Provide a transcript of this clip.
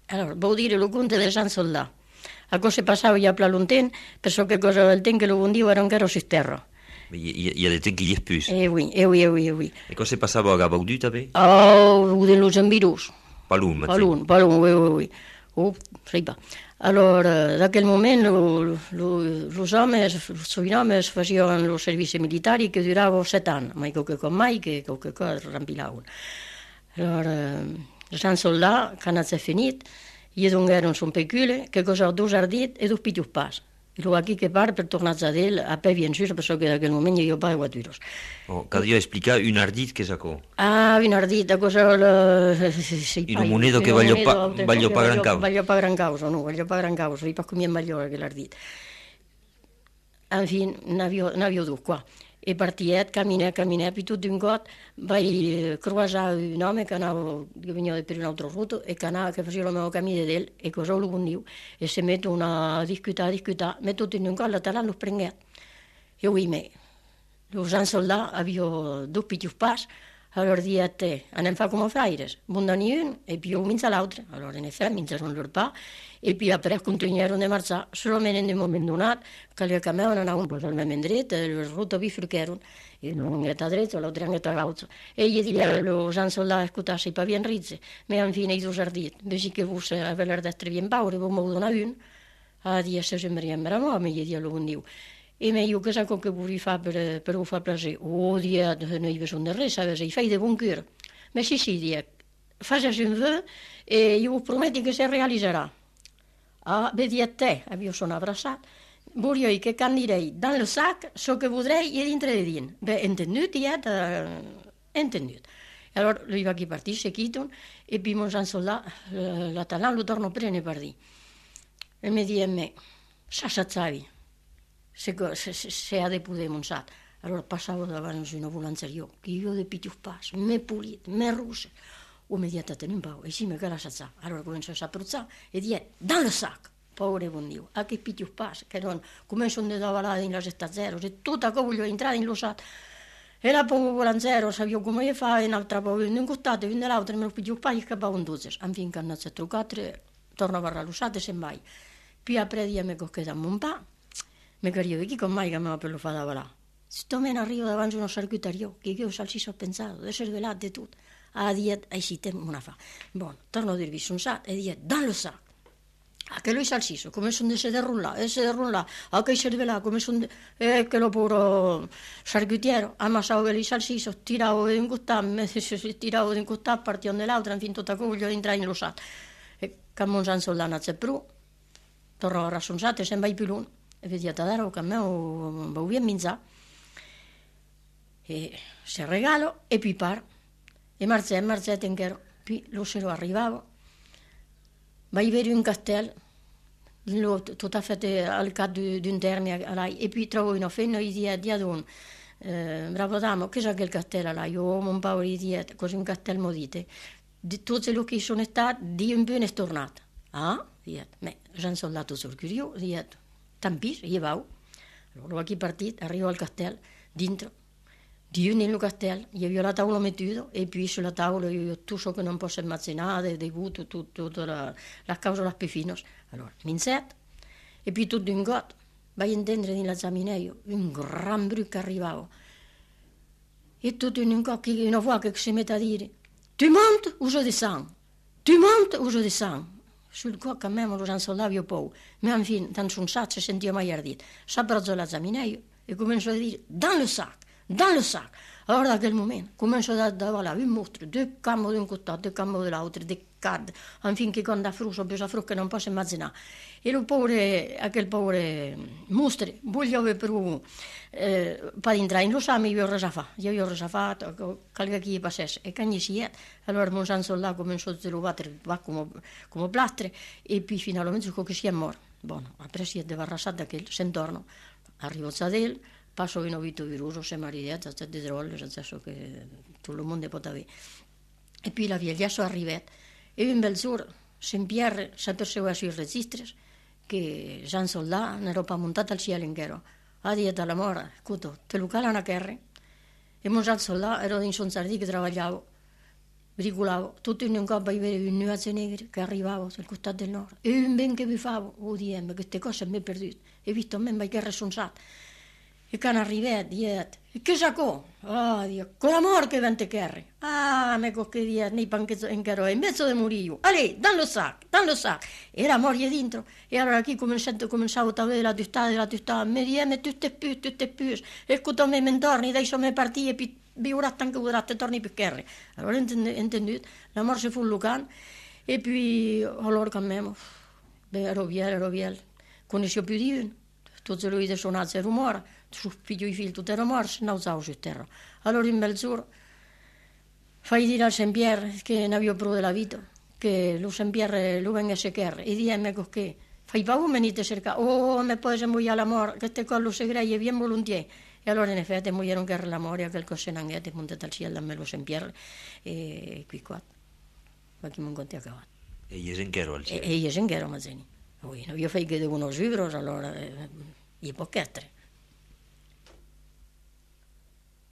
Allora, vuol dire lo conte del San Soldà. A cosa passava già per lontano, perché che cosa del tempo che lo vendivo era un caro su terra. Il y a des trucs qui y plus. Oui, oui, oui, oui. Et quand c'est passé à Gabaudu, t'avais? Oh, de los ambirus. Palun, Mathieu. Palun, oui, oui, oui. Oh, sai pas. Allora, da quel momento, los homes, i homes facevano lo servizio militare che durava 7 anni, ma qualche mai che qualche cosa rampilavano. Allora, San Soldà, quando si è finito, io non ero un pecule, che cosa ho due arditi e due più pas. E lo qui che pare per tornare a del, a pe bien sûr, perché da quel momento io pago guaturos. Oh, quand Dieu explica une ardite che sacco. Ah, una ardita, cosa... In un monedo che voglio pa gran causa. Voglio pa gran causa, no, voglio pa gran causa, io pa come è meglio che l'ardita. Infine, n'avio due qua. E partiet, camminè, più tutto d'un got, vai croisare un uomo che veniva per un altro ruto e che faceva il mio cammino di lui, e cosa lo condivo, e si mettono a discutere, metto tutto in un got, la talà lo prendeva. E oui, me, lo San Soldà aveva due più pas, allora di a te, anem fa come fraires, mondani un, e più minza l'altra, allora in effetti minzano loro pa, e poi après continuarono a marciare, solamente in un momento donato, che le camminavano andavano un po' talmente dritto, le rotte bifurcarono, e non è a dritto, l'altra è a l'altro. E gli dicevano, lo San Soldà, ascoltassi, pa bien rizze, ma infine i due arditi, invece che fosse aver detto bien paure, come una un, a dire se sembra ma mi gli diceva lo condivo. E io cosa che vorrei fare per far piacere? Oh, dia, non ho bisogno di res, fai di buon cuore. Ma sì, dia, facci un vœu e io prometto che si realizzerà. Ah, vedi a te, io sono abbracciato, vorrei che candirei dans le sac ciò che vorrei e dentro di din. Beh, entenuto, dia, entenuto. E allora lui va a partire, si quitano, e poi mon San Soldà, la talà lo torno a prendere per dire. E mi dice a me, sapevi? Se ha de poder monsat. Allora passavo davanti a una volanzeria, che io di più passo, me pulito, me russe. O mi dice, te un po', e sì, mi cara sa. Allora comincio a sapruzzare e dice, dans le sac, povero buon Dio, a che più passo, che non, comincio a lavorare in la gesta zero, se tutta che voglio entrare in lo sac. E la pongo volanzero, sapevo come fa, e un'altra poi in un costato, e nell'altro, me lo più passo, e scapavo un 12. Infine, quando si è truccato, torno a parlare lo sac, e semmai. Poi après, mi cocchiamo un po'. Mi cario, chi con mai che mi per lo fa da là? Sto meno arrivo davanti a uno circuitario, che io salsiccio ho pensato, di essere velato e tutto. A dire, sì, te una fa. Buono, torno a dirvi su un sac e dire, dans le sac. A che lui salsiccio, come sono di sedere a che si là, come sono che lo puro circuitiero, ammassavo che lui salsiccio, tiravo in cottà, partivo nell'altra, infine tutta che voglio entrare in lo sac. E come un San Soldà non c'è più, torno a rassunzare, sembra più lungo. E vedi a dare che a me va via a minzà e se regalo e poi par e marzè tenchero poi lo se lo arrivavo vai vedere un castello tutto a fatto al capo di un termine e poi trovo una fenna e di adun bravo damo che sa che il castello là io ho un paio di così un castello modite di tutte le che sono state di un bene stornato me San Soldato sul curioso Tampis, io vado, allora qui partito, arrivo al castello, dentro, di nel castello, io avevo la tavola mettuta e poi sulla tavola io ho tutto ciò che non posso immaginare, dei guti, tutta la causa della pefinos. Allora, minzet, e poi tutto in got, vai a intendere nella zamineio, un gran bruco che arrivava. E tutto in un got, una voce che si mette a dire, tu montes o je descends, tu montes o je descends. Sul cuore a me lo San Soldà io poi, ma infine, tanto un sac si sentiva mai ardito. S'abbraccio la zamineio e comincio a dire, dans le sac. Allora da quel momento comincio a dare un mostro, due cambi di un cottato, due cambi dell'altro, due card, infine che quando ha fruso, ho fruso che non posso immaginare. E quel povero mostro, voglio per entrare in lo same, io ho resa fatto, qualche chi passasse, e quando si è, allora mon San Soldà cominciò a trovare come plastre, e poi finalmente che si è morto. Buono, après si è debarrassato da quel, se intorno, arrivo a del, passo in ovito viruso, se maridetta, c'è di trolle, c'è che tutto il mondo può avere. E poi la via sono arrivata, e un bel giorno, Saint-Pierre s'aperceva sui registri che San Soldà ne era montato al cielo intero. Ha detto alla mora, scuto, te lo calano a terra. E mon San Soldà era in son sardì che lavoravo. bricolavo, tutto in un coppa io vedevo un nuace negri che arrivavo sul costato del nord, e un ben che vi favo, ODM, queste cose mi è perduto, e visto a me, ma che responsabile. E quando arrivai, diet, e che sacò? Ah, Dio, con l'amore che vente kerri. Ah, me che diet, nei panchetti in caro, in mezzo di muriu. Allez, dans le sac. Era morire dentro. E allora qui cominciavo a vedere la tutta, mi dieme tutte più. E quando me intorni, dai sono partiti, e biurat anche urat, torni più kerri. Allora, intendut, l'amore si fu lucan, e poi, allora con me, ero viel, conoscevo più di uno. Tutti lui suonato il rumore, su figlio e figlio tutti erano morti, non usavo su terra. Allora in mezz'ora fai dire al Saint-Pierre che ne avevo provato della vita, che lo Saint-Pierre lo venga a cercare, e diemme che fai paura venite a cercare, oh, me poi se muoia l'amore, che te collo segreto e viene volentieri. E allora in effetti muoieron che l'amore, a quel cose non è, montato al cielo a me lo Saint-Pierre, e qui qua, ma chi mi conti a cavallo. E gli esenchero al cielo? E gli esenchero, ma zeni. Io fai che devono sugros, allora, i può chiedere.